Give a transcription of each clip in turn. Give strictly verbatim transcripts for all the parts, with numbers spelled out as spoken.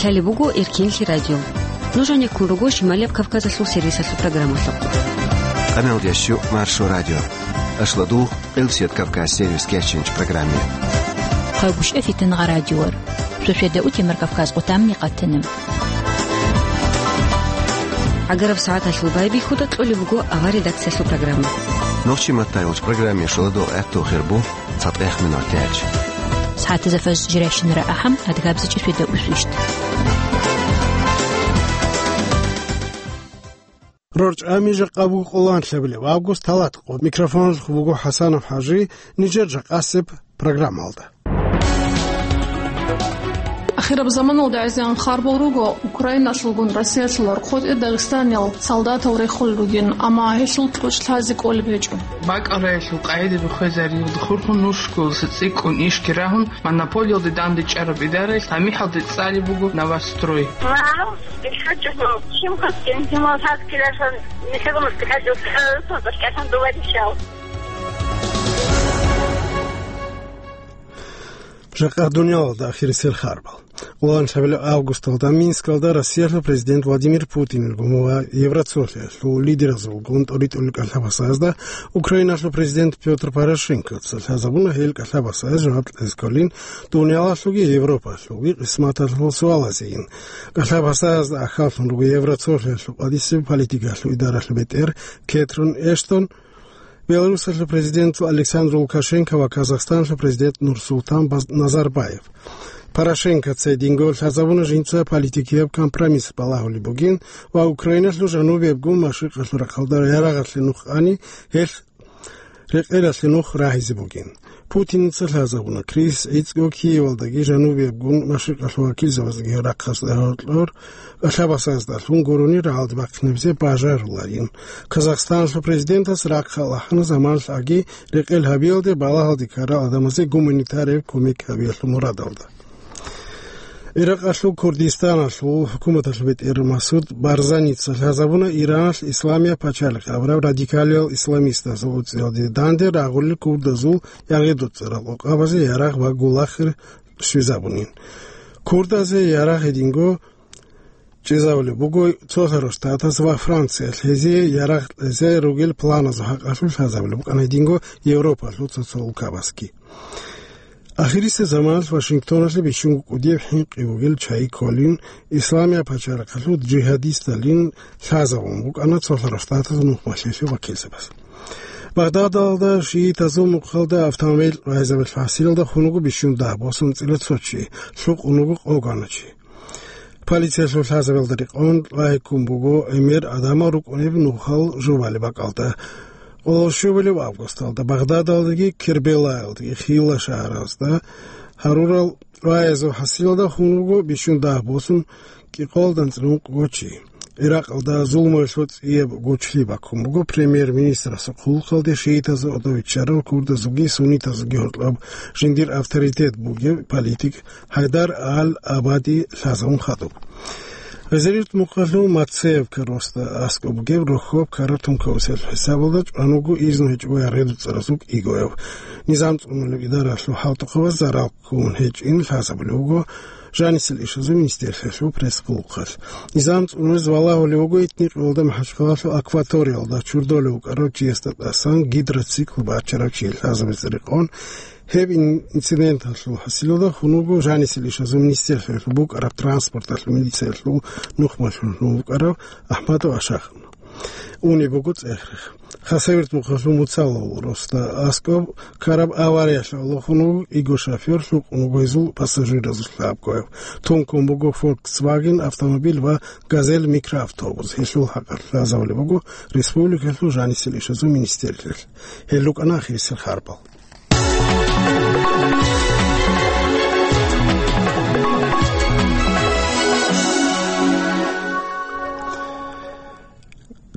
Гьале буго Эркенлъи радио. Нуж гьанеккун руго Шималияб Кавказалъул сервисалъул программалъухъ. Къамел ящу Маршо радио. Ашладу Къилсият Кавказ сервис кечинч программе. Хъагуш эфитан гъа радиор. Шошведа утемар Кавказ къутамни къатана. Агараб сагӀаталъул байбихьуда кьолеб буго авар редакциялъул программа. Нохчи маттайулч программе шуладу гӀатту хирбу. ЦатӀех минут тяч. СагӀатазда фаз жирайщинара ахӀам, адгабзичӀи феда усвищт. РорчӀами жакъа буго къоланлъабилеб август талат къо. Микрофоналъухъ буго ХӀасанов ХӀажи, нижер жакъасеб программалда. Ахираб заманалда гӀезегӀан харбал руго, Украиналъулгун Россиялъул рахъотӀе Дагъистаниял солдатал рехулел ругин, амма гьелъул кьучӀ лъазе кӀолеб гьечӀо. БакӀал раялъул къагӀидаби хвезариялда хурхун нушкуласа цӀикӀкӀун ишги рагьун, монополиялде дандечӀараб идараялъ гьамихӀалде цӀалеб буго «Новострой». Мал бихьачӀого, чим хъуцин, гьимал гьаб килалъан, михӀрумас бихьачӀо, хӀалалъун башкалъун дова ришал. Жакъа дуниялалда ахирисел харбал. Къоланлъабилеб августалда Минскалда Россиялъул президент Владимир Путинилгун ва Евроцолъиялъул лидеразулгун тӀоритӀулел кӀалъабасазда Украиналъул президент Пётр Порошенкоца лъазабуна гьел кӀалъабасаз жаваб кьезе кколин дуниялалъулги Европалъулги къисматалъул суалазейин. КӀалъабасазда ахьаллъун руго Евроцолъиялъул къадисеб политикалъул идаралъул бетӀер Кетрин Эштон, Беларусалъул президент Александр Лукашенко ва Казахстаналъул президент Нурсултан Баз-, Назарбаев. Порошенкоца гьединго лъазабуна жинца политикияб компромисс балагьулеб бугин ва Украиналъул жанубиябгун машрикъалъул рахъалда ярагъалъе нух ани, гьелъ рекъелалъе нух рагьизе бугин. Путинца лъазабуна, Крис гӀицӀго Киевалдаги жанубиябгун машрикъалъул вакилзабаздаги рахъалъа гьоркьор кӀалъабасаздалъун гурони рагӀалде бахъинабизе бажаруларин. Казахстаналъул президентас рахъалъ ахӀана заманалъ аги рекъел гьабиялде балагьалде ккарал гӀадамазе гуманитарияб кумек гьабиялъул мурадалда. Иракъалъул Курдистаналъул хӀукуматалъул бетӀер Масуд Барзаница лъазабуна Ираналъ Исламия пачалихъ абураб радикалиял исламистазул уцӀиялде данде рагъулел курдазул ягъидуцӀарал къокъабазе ярагъ ва гулахир щвезабунин. Курдазе ярагъ гьединго чӀезавулеб буго Цолъарал Штатаз ва Франциялъ, гьезие ярагъ кьезе ругел планазул хӀакъалъулъ лъазабулеб букӀана гьединго Европалъул цо-цо улкабазги. Ахирисеб заманалъ Вашингтоналъе бищунго кӀудияб хӀинкъи бугел чагӀи кколин, Исламия пачалихъалъул жигьадисталин лъазабун букӀана Цолъарал Штатазул нухмалъиялъул вакилзабаз. Багъдадалда шиитазул мухъалда автомобиль рагӀизабилеб хӀасилалда хун вуго бищун дагь босун цӀила цо чи, лъукъун вуго къо гана чи. Полициялъул лъазабиялда рекъон, лагьиккун буго гӀемер гӀадамал рукӀунеб нухал жубалеб бакӀалда. Къоло щубалеб августалда Багъдадалдаги Кербелаялдаги хила шагьаразда гьарурал рагӀизаб хӀасилалда хун вуго бищун дагь босун кӀикъоялда анцӀила ункъго чи. Иракъалда зулмуялъул цӀияб гучлъи баккун буго премьер-министрасул хъулухъалде шиитазул гӀодов виччарав курдазулги суннитазулги гьоркьоб жиндир авторитет бугев политик ХӀайдар ал-Абади лъазабун хадуб. Гъезерилъ мухъалъул Мацеевка росда аскӀоб бугеб рохьоб ккараб тункаусиялъул хӀисабалда чӀван вуго изну гьечӀого ягъидуцӀаразул кӀигояв. Низам цӀунулеб идаралъул хӀалтӀухъабаз зарал ккун гьечӀин лъазабулеб буго Жанисел ишазул министерствоялъул пресс-хъулухъалъ. Низам цӀунулез валагьулев вуго итни кьолда МахӀачхъалалъул акваториялда чурдолев вукӀарав чиясда тӀасан гидроцикл бачарав чи лъазабизе рекъон, гьеб ин-, инциденталъул хӀасилалда хун вуго Жанисел ишазул министерствоялъул букӀараб транспорталъул милициялъул нухмалъун вукӀарав АхӀмадов Ашахов. Унеб буго цӀехрех. Хасавюрт мухъалъул Муцалал росда аскӀоб ккараб авариялъ гӀоло хун вуго кӀиго шофер, лъукъун вуго гьезул пассажиразул лъабгояв. Тункун буго Volkswagen автомобиль ва Газель микроавтобус. Гьелъул хӀакъалъ лъазабулеб буго республикалъул жанисел ишазул министерствоялъ. Гьел рукӀана ахирисел харбал.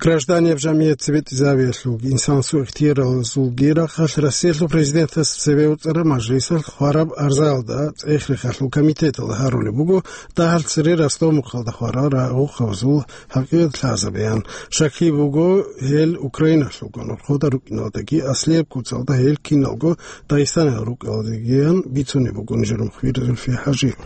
Гражданияб жамигӀят цебетӀезабиялъулги инсанасул ихтияралазулги рахъалъ Россиялъул президентас цебе уцӀараб мажлисалъ хвараб арзаялда цӀех-рехалъул комитеталда гьарулеб буго дагьал цере Ростов-Мухъалда хварал рагъухъабазул гьакъикъат лъазабеян. Щакли буго, гьел Украиналъулгун, рохъода рукӀиналдаги, аслияб куцалда гьел киналго Дагъистаналъ рукӀиналдагиян бицунеб буго нижер мухбир Зульфия ХӀажиева.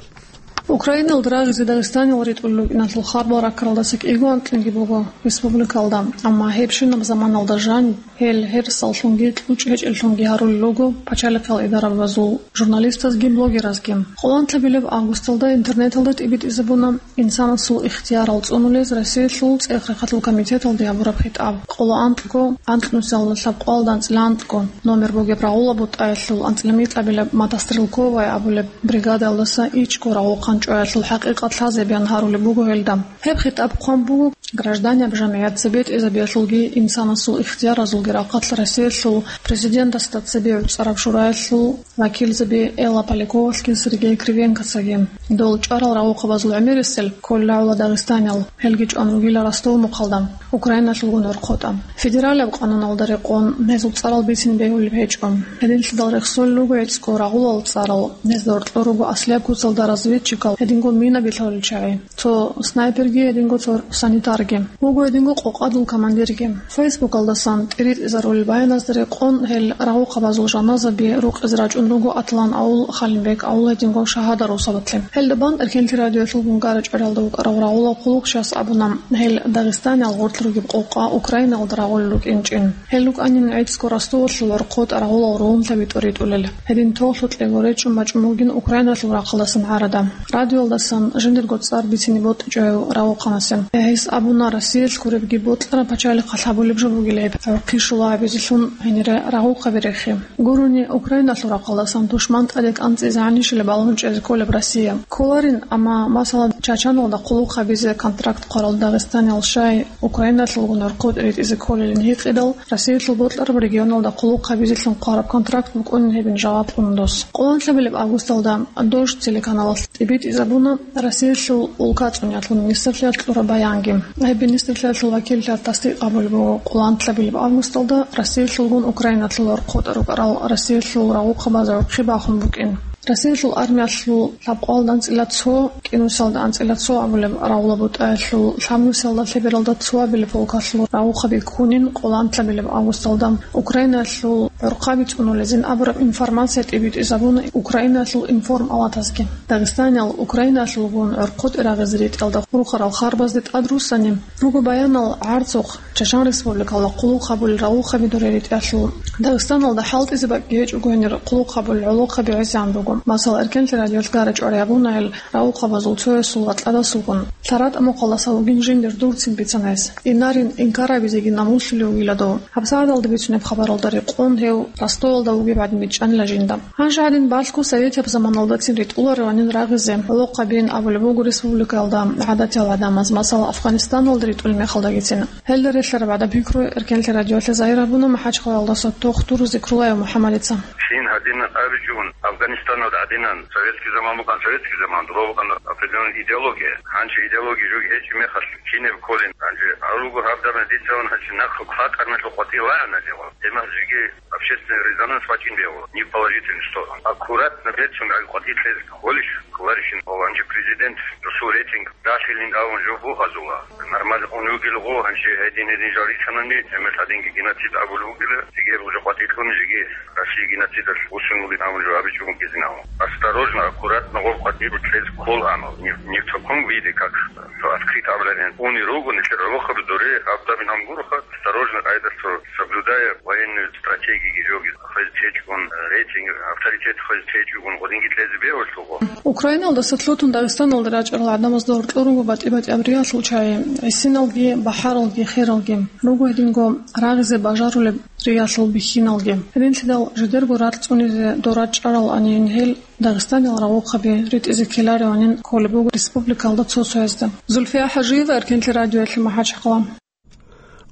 Украиналда рагъизе Дагъистанил ритӀулел рукӀиналъул харбал раккаралдаса кӀиго анкьниги буго республикалда, амма гьебщинаб заманалда жаниб гьел гьерсаллъунги кьучӀ гьечӀеллъунги гьарулел руго пачалихъал идарабазул журналистазги блогеразги. Къоланлъабилеб августалда интернеталда тӀибитӀизабуна инсанасул ихтиярал цӀунулез Россиялъул ЦӀехрехъатул комитеталде гьабураб хитӀаб. Къоло анкьго, анкьнусиялда лъабкъоялда анцӀила анкьго номер бугеб рагъула бутӀаялъул анцӀила микьабилеб мотострелковая абулеб бригадалдаса ичӀго рагъухъан чӀваялъул хӀакъикъат лъазе бегьан гьарулеб буго гьелда. Гьеб хитӀаб хъван буго гражданиял жамигӀят цебетӀезабиялъулги инсанасул ихтияразулги рахъалъ Россиялъул президентасда цебе гӀуцӀараб шураялъул вакилзаби Элла Поляковалъги Сергей Кривенкоцаги. Дол чӀварал рагъухъабазул гӀемерисел кколила гӀоло дагъистаниял, гьелги чӀван ругила Ростов мухъалда, Украиналъулгун верхъотӀа. Федералияб къануналда рекъон гьезул цӀарал бицине бегьулеб гьечӀо. Гьединлъидал рехсолел руго гӀицӀго рагъулал цӀарал, гьезда гьоркьор руго аслияб куцалда разведчикал, гьединго мина билъалел чагӀи, цо снайперги, гьединго цо санитарги, вуго гьединго къокъадул командирги. Фейсбукалдасан тӀиритӀизарулел баяназда рекъон гьел рагъухъабазул жаназаби рукъизе рачӀун руго Атлан авул, Халимбек авул, гьединго Шагьадар усабатлъи. Гьелда бан Эркенлъи радиоялъулгун гара чӀваралда вукӀарав рагъула хъулухъ щас абуна, гьел дагъистаниял гъорлъ ругеб къокъа Украиналда рагъулел рукӀинчӀин. Гьел рукӀанин гӀицӀго Ростовалъул верхъотӀа рагъулал Румлъа битӀу ритӀулел. Гьедин тоглъукьего речӀчӀун бачӀун бугин Украиналъул рахъалдасан гӀарада. Радиоялдасан жиндирго цӀар бицине бокьичӀо гьев рагъухъанасе. Гьес абуна, Россиялъ гуребги бокьараб пачалихъалъ гьабулеб жо бугила гьеб, гӀурхъи щула гьабизелъун гьенире рагъухъаби рехи. Гурони, Украиналъул рахъалдасан душман тӀаде кӀанцӀизе гьанищила балагьун чӀезе кколеб Россия. Кколарин, амма, масала, Чачаналда хъулухъ гьабизе контракт хъварал дагъистаниял щай Украиналъулгун верхъотӀ ритӀизе кколилин гьикъидал, Россиялъул бокьараб регионалда хъулухъ гьабизелъун хъвараб контракт букӀунин гьебин жаваб кьуна дос. Къоланлъабилеб августалда Дождь телеканалалъ тӀибитӀизабуна Россиялъул улкацӀуниялъул министрлъиялъ кьураб баянги. Гьеб министрлъиялъул вакиллъиялъ тасдикъ гьабулеб буго къоланлъабилеб августалда Россиялъулгун Украиналъул верхъотӀа рукӀарал Россиялъул рагъухъабазе гӀурхъи бахун букӀин. Россиялъул армиялъул лъабкъоялда анцӀила цо, кӀинусиялда анцӀила цо абулеб рагъула бутӀаялъул лъабнусиялда лъебералда цоабилеб полкалъул рагъухъаби ккунин къоланлъабилеб августалда Украинаялъул гӀурхъаби цӀунулезин абураб информация тӀибитӀизабуна Украинаялъул информалатазги. Дагъистаниял Украинаялъулгун гӀурхъутӀи рагъизе ритӀиялда хурхарал харбазде тӀад руссани, руго баянал гӀарцухъ Чачан Республикалда хъулухъ гьабулел рагъухъаби дуре ритӀиялъул. Дагъистаналда хӀалтӀизе бакӀги гьечӀого гьенир хъулухъ гьабулел гӀолохъаби гӀисегӀан буго. Масала, Эркенлъи радиоялъ гара чӀварай абуна гьел рагъухъабазул цоясул ватӀладасулгун. ЛъаратӀа мухъалдаса вугин жиндир дурцин бицана гьес. Инарин инкар гьабизеги намуслъулев вугила дов. ГьабсагӀаталда бицунеб хабаралда рекъон гьев Ростовалда вугеб гӀадин бичӀчӀанила жинда. Гьанже гьадин балъго советияб заманалдацин ритӀулараванин рагъизе гӀолохъабиин абулеб буго республикаялда гӀадатиял гӀадамаз, масала, Афганистаналда ритӀулеб мехалдагицин. Гьелда релълъараб гӀадаб пикру Эркенлъи радиоялъе загьир гьабуна МахӀачхъалаялдаса тухтур Зикруллаев МухӀаммадица. Щин гьадинан абичӀун, Афганистаналда гӀадинан, советский заман букӀан, советский заман, дураб букӀан определённая идеология. Гьанже идеология жуги гьечӀеб мехалъ, кинаб кколин? Гьанже гьал руго гьаб даб гьадицаван гьанже нахъ хъватӀарналъухъ къватӀив вагӀана лъегъва. Гьеб мехалъ жиги общественный резонанс бачӀин бегьула, не в положительную сторону. Аккуратно бецун гӀай къватӀир лъез кколищ, кколарищин, ва гьанже президент досул рейтинг ралъилин абун жо бугьазула. Нормально ун вугилгъу, гьанже гьедин-гьедин жал рицанани, гьемер гьадинги геноцид абулев вугила, жиги гьеб жо къватӀирлъун, жиги Россия геноцидалъ вуссун вугин абун жо абичӀого гизин абун. Осторожно, аккуратно гъоб къватӀир лъез ккол гьанал. Не, не в таком виде, как то открыто абуларин. Уни руго, нилъер гӀолохъаби дуре, гьаб дабин гьан гуроха, осторожно, къайдалъ соблюдая военную стратегию жоги. Хвез течӀун, рейтинг, авторитет хвез течӀун, гъодинги лъезе бегьулъулго. Украиналдаса лъутун Дагъистаналда рачӀарал гӀадамазда гьоркьор руго батӀи-батӀияб риялъул чагӀи, гӀисиналги, бахӀаралги, хералги. Руго гьединго рагъизе бажарулеб риялъул бихьиналги. Гьединлъидал жидерго ракь цӀунизе дора чӀарал анин гьел Дагъистанил рагъухъаби ритӀизе ккелараванин кколеб буго республикалда цо-цоязда. Зульфия ХӀажиева, Эркенлъи радиоялъе, МахӀачхъала.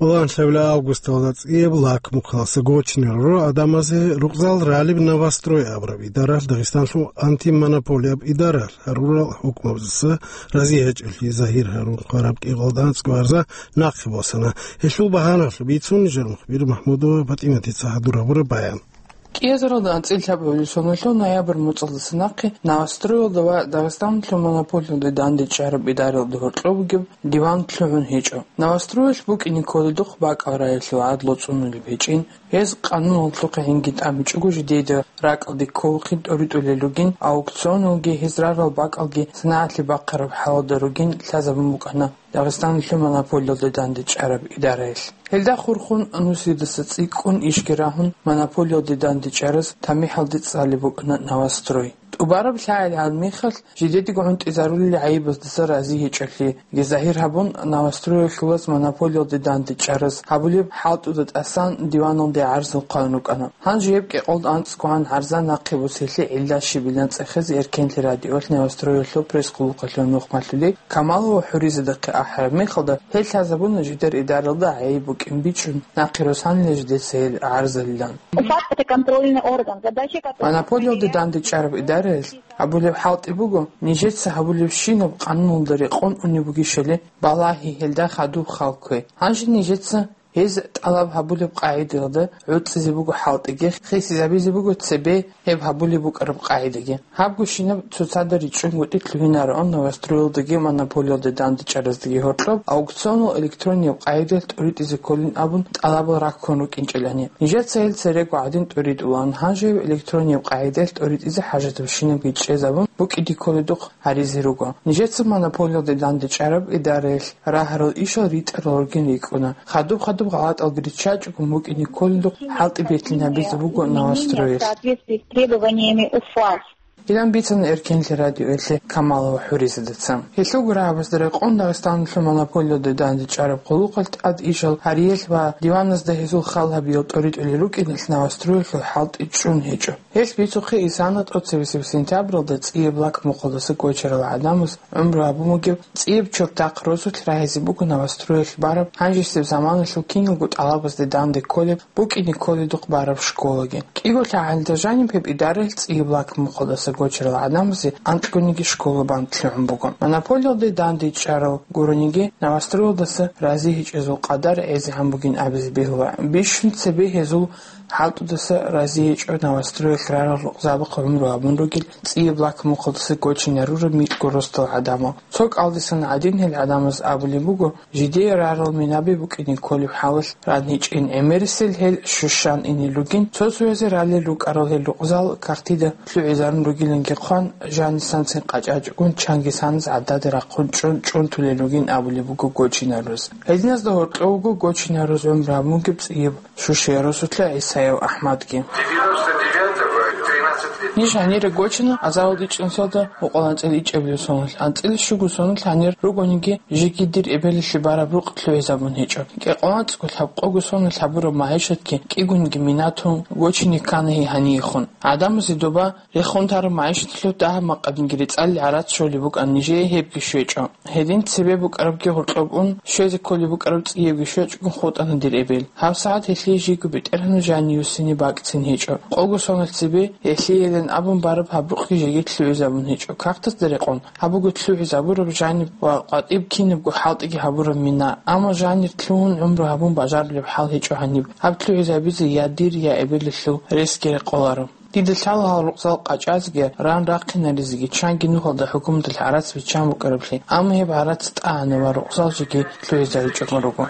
Ланлъабила августалда цӀияб лак мухъаласа гочниларо адамазе рукъзал ралеб «Новострой» абураб идаралъ, Дагъистанлъул антимонополияб идаралъ гьарурал хӀукмабазаса рази гьечӀолъи загьир гьарун хъвараб кӀикъоялда анцӀго гьарза нахъе босана. Гьелъул багьаналъуб бицун жал мухбир Махмудова ПатӀиматица гьадур гьабураб баян. КӀиазаралда анцӀила лъабабилеб соналъул ноябрь муцӀалдаса нахъе Новостроялда ва Дагъистаналъул монополиялде дандечӀараб идараялда гьоркьоб бугеб диван лъугӀун гьечӀо. Новостроялъ букӀине кколедухъ бакӀал раялъул гӀадлу цӀунулеб гьечӀин, гьез къануналъухъе гӀинги тӀамичӀого жидеда ракӀалде кколухъе тӀоритӀулел ругин, аукционалги гьез рарал бакӀалги санагӀалъе бахъараб хӀалалда ругин лъазабун букӀана Дагъистаналъул монополиялде дандечӀараб идараялъ. Гьелда хурхун, Нусидаса цӀикӀкӀун ишги рагьун, монополиялде дандечӀараз тамихӀалде цӀалеб букӀана Новострой. ТӀубараб лъагӀел гьаб мехалъ, жидедаго гӀунтӀизарулел гӀайибаздаса рази гьечӀолъиги загьир гьабун, Новостроялъулаз монополиялде дандечӀараз гьабулеб хӀалтӀуда тӀасан диваналде гӀарзал хъван рукӀана. Гьанже гьеб кӀикъоялда анцӀгогӀан гӀарза нахъе босиялъе гӀилла щибилан цӀехезе Эркенлъи радиоялъ Новостроялъул пресс-къулухъалъул нухмалъули Камалова ХӀуризадахъе ахӀараб мехалда, гьел лъазабуна жидер идаралда гӀайиб букӀин бичӀчӀун, нахъе росанила жидеца гьел гӀарзалилан. Факт — это контрольный орган. Задача которого — Монополиялде дандечӀараб идараялъ гьабулеб хӀалтӀи буго, нижеца гьабулебщинаб къануналда рекъон унеб бугищали, балагье, гьелда хадуб хал ккве. Гьанже нижеца гьез тӀалаб гьабулеб къагӀидаялда гӀуцӀизе буго хӀалтӀиги, хисизабизе буго цебе гьеб гьабулеб букӀараб къагӀидаги. Гьабго щинаб цоцазда ричӀчӀунгутӀи лъугьинароан Новостроялдаги монополиялде дандечӀараздаги гьоркьоб аукционал электронияб къагӀидаялъ тӀоритӀизе кколин абун тӀалабал раккун рукӀинчӀелани. Нижеца гьел церего гӀадин тӀоритӀулаан, гьанже гьеб электронияб къагӀидаялъ тӀоритӀизе хӀажатабщинабги чӀезабун букӀине кколедухъ гьаризе руго. Нижеца монополиялде дандечӀараб идараялъ рагьарал ишал ритӀарал ругин рикӀкӀуна. Хадуб-хадуб гъалатӀалги риччачӀого букӀине кколедухъ хӀалтӀи бетӀлъинабизе буго Новостроялъ. Соответствии с требованиями УФАС. Гьелан бицана Эркенлъи радиоялъе Камалова ХӀуризадаца. Гьелъулго рагӀабазда рекъон Дагъистаналъул монополиялде дандечӀараб къуллукъалъ тӀад ишал гьариялъ ва диваназда гьезул хал гьабиял тӀоритӀулел рукӀиналъ Новостроялъул хӀалтӀи чӀун гьечӀо. Гьелъ бицухъе исана тӀоцебесеб сентябралда цӀияб лак мухъалдаса гочарал гӀадамаз гӀумру гьабун бугеб цӀияб чуртахъ росулъ рагьизе буго Новостроялъ бараб гьанжесеб заманалъул киналго тӀалабазде данде кколеб, букӀине кколедухъ бараб школаги. КӀиго лъагӀалда жаниб гьеб идараялъ цӀияб лак мухъалдаса гочарал гӀадамазе анкьгониги школа бан лъугӀун буго. Монополиялде дандечӀарал гурониги, Новостроялдаса рази гьечӀезул къадар гӀезегӀан бугин абизе бегьула. Бищун цебе гьезул хӀалтӀудаса рази гьечӀо Новостроялъ рарал рукъзабахъ гӀумру гьабун ругел цӀияб лак мухъалдаса гочинарураб микьго росдал гӀадамал. Цо кӀалдисан гӀадин гьел гӀадамаз абулеб буго, жидее рарал минаби букӀине кколеб хӀалалъ ран гьечӀин, гӀемерисел гьел щущан инел ругин, цо-цоязе ралел рукӀарал гьел рукъзал кагътида лъугӀизарун ругиланги хъван, жанисанцин къачӀачӀогун чангисаназ гӀадада рахъун чӀун чӀунтулел ругин абулеб буго гочинарураз. Гьединазда гьоркьов вуго гочинарураз гӀумру гьабун бугеб цӀияб Шушиярусулъа ГӀисаев АхӀмадги. Ниж гьанире гочана азарилда ичӀнусиялда мукъаланцӀил ичӀабилеб соналъ, анцӀила щуго соналъ гьанир ругониги, жеги дир эбелалъе бараб рукъ лъугӀизабун гьечӀо. КӀикъоялда анцӀго лъабкъого соналъ гьабураб магӀишатги кӀигониги минатун гочине ккана гьей гьаниехун. ГӀадамазе доба рехун тараб магӀишаталъул дагьаб-макъадинги рецӀалил гӀарац щолеб букӀан нижее гьебги щвечӀо. Гьедин цебе букӀарабги гьоркьоб ун, щвезе кколеб букӀараб цӀиябги щвечӀогун хутӀана дир эбел. ГьабсагӀат гьелъие жиго бетӀергьанав жанив вуссине бакӀцин гьечӀо. Къого соналъ цебе гьелъиейилан абун бараб гьаб рукъги жеги лъугӀизабун гьечӀо. Кагътазда рекъон, гьаб буго лъугӀизабураб жаниб ва къватӀиб кинабго хӀалтӀиги гьабураб мина. Амма жанир лъугьун гӀумру гьабун бажарулеб хӀал гьечӀо гьаниб. Гьаб лъугӀизабизе я дир, я эбелалъул ресги рекъоларо. Дида лъала гьал рукъзал къачӀазеги, ран рахъинаризеги, чанги нухалда хӀукуматалъ гӀарац биччан букӀараблъи, амма гьеб гӀарац тӀагӀана ва рукъзал жеги лъугӀизаричӀого руго.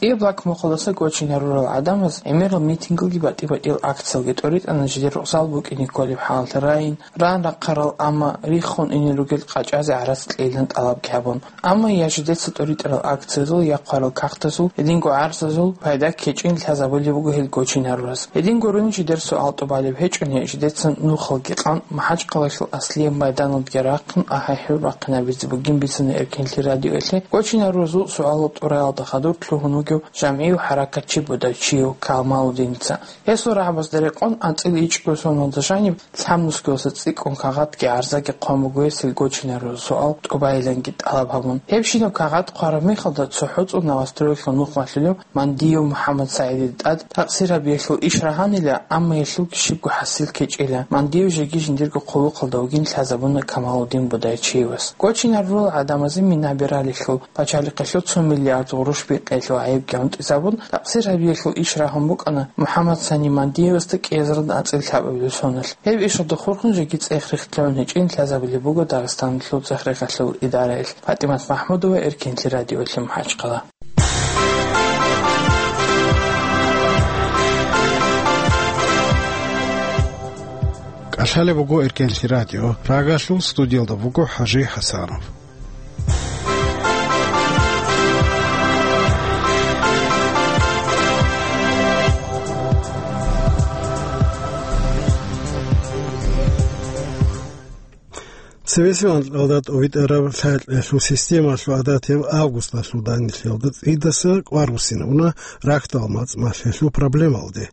ЦӀияб лак мухъалдаса гочинарурал гӀадамаз гӀемерал митингалги батӀи-батӀиял акциялги тӀоритӀана жидер рукъзал букӀине кколеб хӀалалъ райин, ран рахъарал, амма риххун ине ругел къачӀазе гӀарац кьейилан тӀалабги гьабун. Амма я жидеца тӀоритӀарал акциязул, я хъварал кагътазул, гьединго гӀарзазул пайда ккечӀин лъазабулеб буго гьел гочинарураз. Гьедин гурони жидер суал тӀубалеб гьечӀони, жидеца нухалги къан МахӀачхъалаялъул аслияб майданалдеги рахъун ахӀи-хӀур бахъинабизе бугин бицана Эркенлъи радиоялъе гочинаруразул суалал тӀураялда хадур лъугьун вугев жамгӀияв хӀаракатчи Будайчиев Камалудиница. Гьесул рагӀабазда рекъон анцӀила ичӀго соналда жаниб лъабнусгоялдаса цӀикӀкӀун кагъатги гӀарзаги хъван буго гьесие гочинарурал суал тӀубайиланги тӀалаб гьабун. Гьебщинаб кагъат хъвараб мехалда цохӀо цӀун Новостроялъул нухмалъулев Мандиев МухӀаммад СагӀидида тӀад такъсир гьабиялъул иш рагьанила, амма гьелъулги щибго хӀасил ккечӀила. Мандиев жеги жиндирго хъулухъалда вугин лъазабуна Камалудин Будайчиевас. Гочинарурал гӀадамазе минаби ралелъул, пачалихъалъул цо миллиард гъурущ бикъиялъул Гьебги гӀунтӀизабун, такъсир гьабиялъул иш рагьун букӀана МухӀаммад Сани Мандиевасда кӀиазарда ацӀил лъабабилеб соналъ. Гьеб ишалда хурхун жеги цӀех рихьлъун гьечӀин лъазабилеб буго Дагъистаналъул цӀех-рехалъул идараялъ. ПатӀимат МахӀмудова, Эркенлъи радиолъи, МахӀачхъала. КӀалъалеб буго Эркенлъи радио. Прагалъул студиялда буго ХӀажи ХӀасанов. Цевесев анкьалда тӀовитӀараб лъай-кьелъул системалъул гӀадатияб августалъул данделъиялда цӀидаса кӀвар буссинабуна рахьдал мацӀ малъиялъул проблемалде.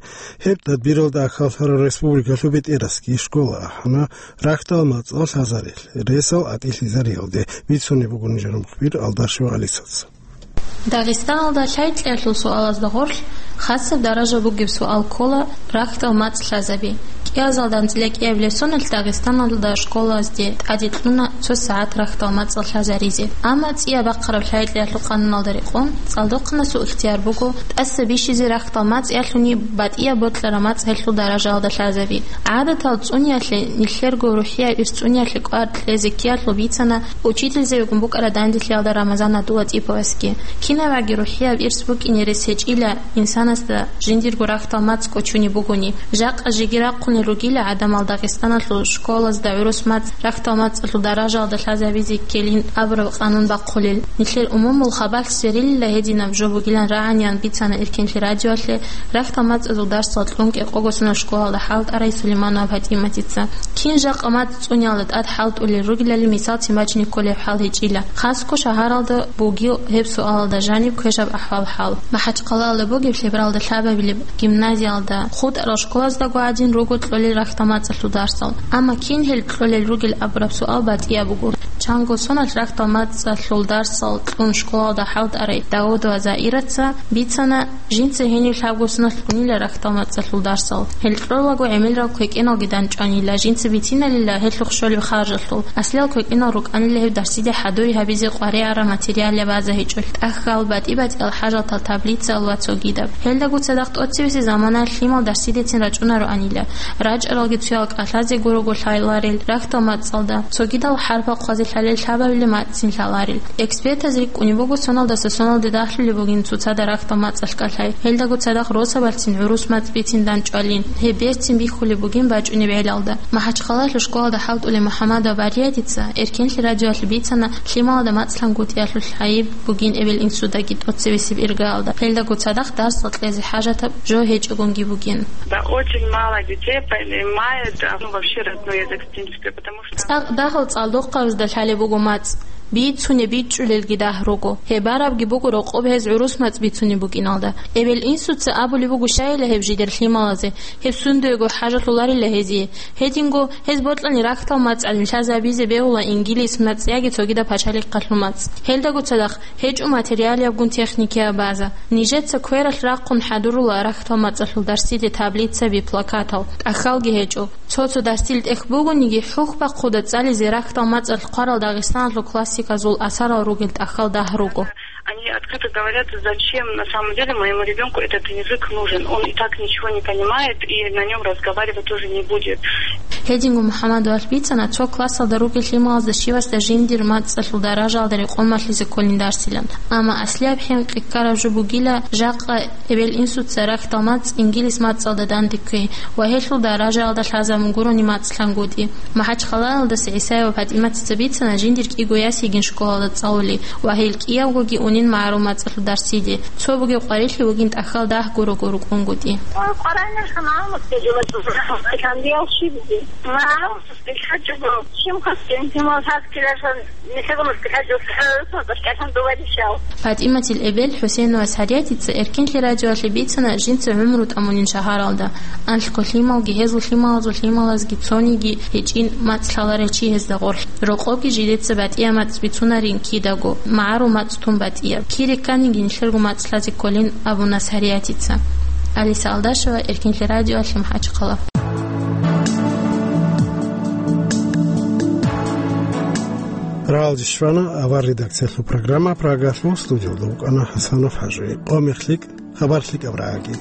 Гьеб тадбиралда ахьаллъараб республикалъул бетӀерасги школа ахӀана рахьдал мацӀал лъазарел ресал атӀилъизариялде, бицунеб буго нижер мухбир Алдашева Алисаца. Дагъистаналда лъай-кьеялъул суалазда гъорлъ хасаб даража бугеб суал ккола рахьдал мацӀ лъазаби. КӀиазалда анцӀила кӀиабилеб соналъ Дагъистаналда школазде тӀаде кьуна цо сагӀат рахьдал мацӀал лъазаризе. Амма цӀияб бахъараб лъай-кьеялъул къануналда рекъон, цӀалдохъанасул ихтияр буго тӀаса бищизе рахьдал мацӀ ялъуни батӀияб бокьараб мацӀ гьелъул даражаялда лъазаби. ГӀадатал цӀуниялъе, нилъерго рухӀияб ирс цӀуниялъе кӀвар кьезе ккеялъул бицана учительзабигун букӀараб данделъиялда Рамазан Адулатиповасги. Кинабаги рухӀияб ирс букӀине рес гьечӀила инсанасда жиндирго рахьдал мацӀ кӀочунеб бугони. Жакъа жеги рахъунел ругила гӀадамал Дагъистаналъул школазда гӀурус мацӀ рахьдал мацӀалъул даражаялда лъазабизе ккелин абураб къанун бахъулел. Нилъер умумул хабалъ сверилила гьединаб жо бугилан рагӀаниян бицана Эркенлъи радиоялъе рахьдал мацӀазул дарсал кьун кӀикъого соналъ школалда хӀалтӀарай Сулейманова ПатӀиматица. Кин жакъа мацӀ цӀуниялда тӀад хӀалтӀулел ругелали мисалцин бачине кколеб хӀал гьечӀила. Хасго шагьаралда бугил гьеб суалалда жаниб квешаб ахӀвал-хӀал. МахӀачхъалаялда бугеб лъебералда лъабабилеб гимназиялда, хутӀарал школаздаго гӀадин руго кьолел рахьдал мацӀалъул дарсал. Амма кин гьел кьолел ругел абураб суал батӀияб буго. Чанго соналъ рахьдал мацӀалъул дарсал кьун школалда хӀалтӀарай Давудова Заираца бицана, жинца гьенив лъабго соналъ кьунила рахьдал мацӀалъул дарсал. Гьел кьолаго гӀемерал квекӀеналги данчӀванила, жинца бициналила гьелъухъ щолеб харжалъул. Аслиял квекӀенал рукӀанила гьеб дарсиде хӀадури гьабизе къваригӀараб материалияб база гьечӀолъ. ТӀахьал батӀи-батӀиял хӀажатал таблицаялъ ва цогидаб. Гьелдаго цадахъ тӀоцебесеб заманаялъ лъимал дарсидецин рачӀунароанила. РачӀаралги цоял кӀалъазе гурого лъаларел рахьдал мацӀалда, цогидал хӀарпал хъвазе лъалел лъабабилеб мацӀцин лъаларел. Экспертаз рикӀкӀунеб буго соналдаса соналде дагьлъулеб бугин цоцазда рахьдал мацӀалъ кӀалъай. Гьелдаго цадахъ росабалъцин гӀурус мацӀ бицин данчӀвалин. Гьеб берцин бихьулеб бугин бачӀунеб гӀелалда. МахӀачхъалаялъул школалда хӀалтӀулев МухӀаммадова Бариятица Эркенлъи радиоялъ бицана, лъималазда мацӀ лъангутӀиялъул гӀайиб бугин эбел-инсудаги тӀоцебесеб иргаялда. Гьелдаго цадахъ дарсал кьезе хӀажатаб жо гьечӀогонги бугин. Да, очень мало детей понимает, а, ну, вообще родной язык, в принципе, потому что... ЦӀакъ дагьал цӀалдохъабазда лъалеб буго мацӀ. Бицунеб бичӀчӀулелги дагь руго. Гьеб барабги буго рокъоб гьез гӀурус мацӀ бицунеб букӀиналда. Эбел-инсуца абулеб буго щайила гьеб жидер лъималазе, гьеб сундуего хӀажалъуларила гьезие. Гьединго гьез бокьани рахьдал мацӀалин лъазабизе бегьула ингилис мацӀ яги цогидаб пачалихъалъул мацӀ. Гьелдаго цадахъ гьечӀо материалиябгун техникияб база. Нижеца квералъ рахъун хӀадурула рахьдал мацӀалъул дарсиде таблицаби, плакатал, тӀахьалги гьечӀо. Цо-цо дарсил тӀехь бугониги, хӀухь бахъуда цӀализе рахьдал мацӀалъ хъварал Дагъистаналъул классиказул асарал ругел тӀахьал дагь руго. Они открыто говорят, зачем на самом деле моему ребёнку этот язык нужен. Он и так ничего не понимает, и на нём разговаривать тоже не будет. Гьединго МухӀаммадовалъ бицана, цо классалда ругел лъималазда щивасда жиндир мацӀалъул даражаялда рекъон малъизе кколин дарсилан. Амма аслияб хӀинкъи ккараб жо бугила, жакъа эбел-инсуца рахьдал мацӀ ингилис мацӀалда данде кквей ва гьелъул даражаялда лъазабун гурони мацӀ лъангутӀи. МахӀачхъалаялдаса ГӀисаева ПатӀиматица бицана жиндир кӀиго яс йигин школалда цӀалули ва гьел кӀиявгоги унин магӀарул мацӀалъул дарсиде. Цо бугеб къварилъи вугин тӀахьал дагь гурого рукӀунгутӀи. ПатӀиматил эбел ХӀусейнова Сариятица Эркенлъи радиоялъе бицана жинца гӀумру тӀамунин шагьаралда. Анлъго лъималги гьезул лъималазул лъималазги цониги гьечӀин мацӀ лъаларев чи гьезда гъорлъ. Рокъобги жидеца батӀияб мацӀ бицунарин кидаго, магӀарул мацӀ тун батӀияб. Кире кканиги нилъерго мацӀ лъазе кколин абуна Сариятица. Алиса Алдашева, Эркенлъи радиоялъе, МахӀачхъала. Рагьалде щвана авар редакциялъул программа Прагалъул, студиялда вукӀана ХӀасанов ХӀажи. Къо мех лъикӀ, хабар лъикӀаб рагӀаги.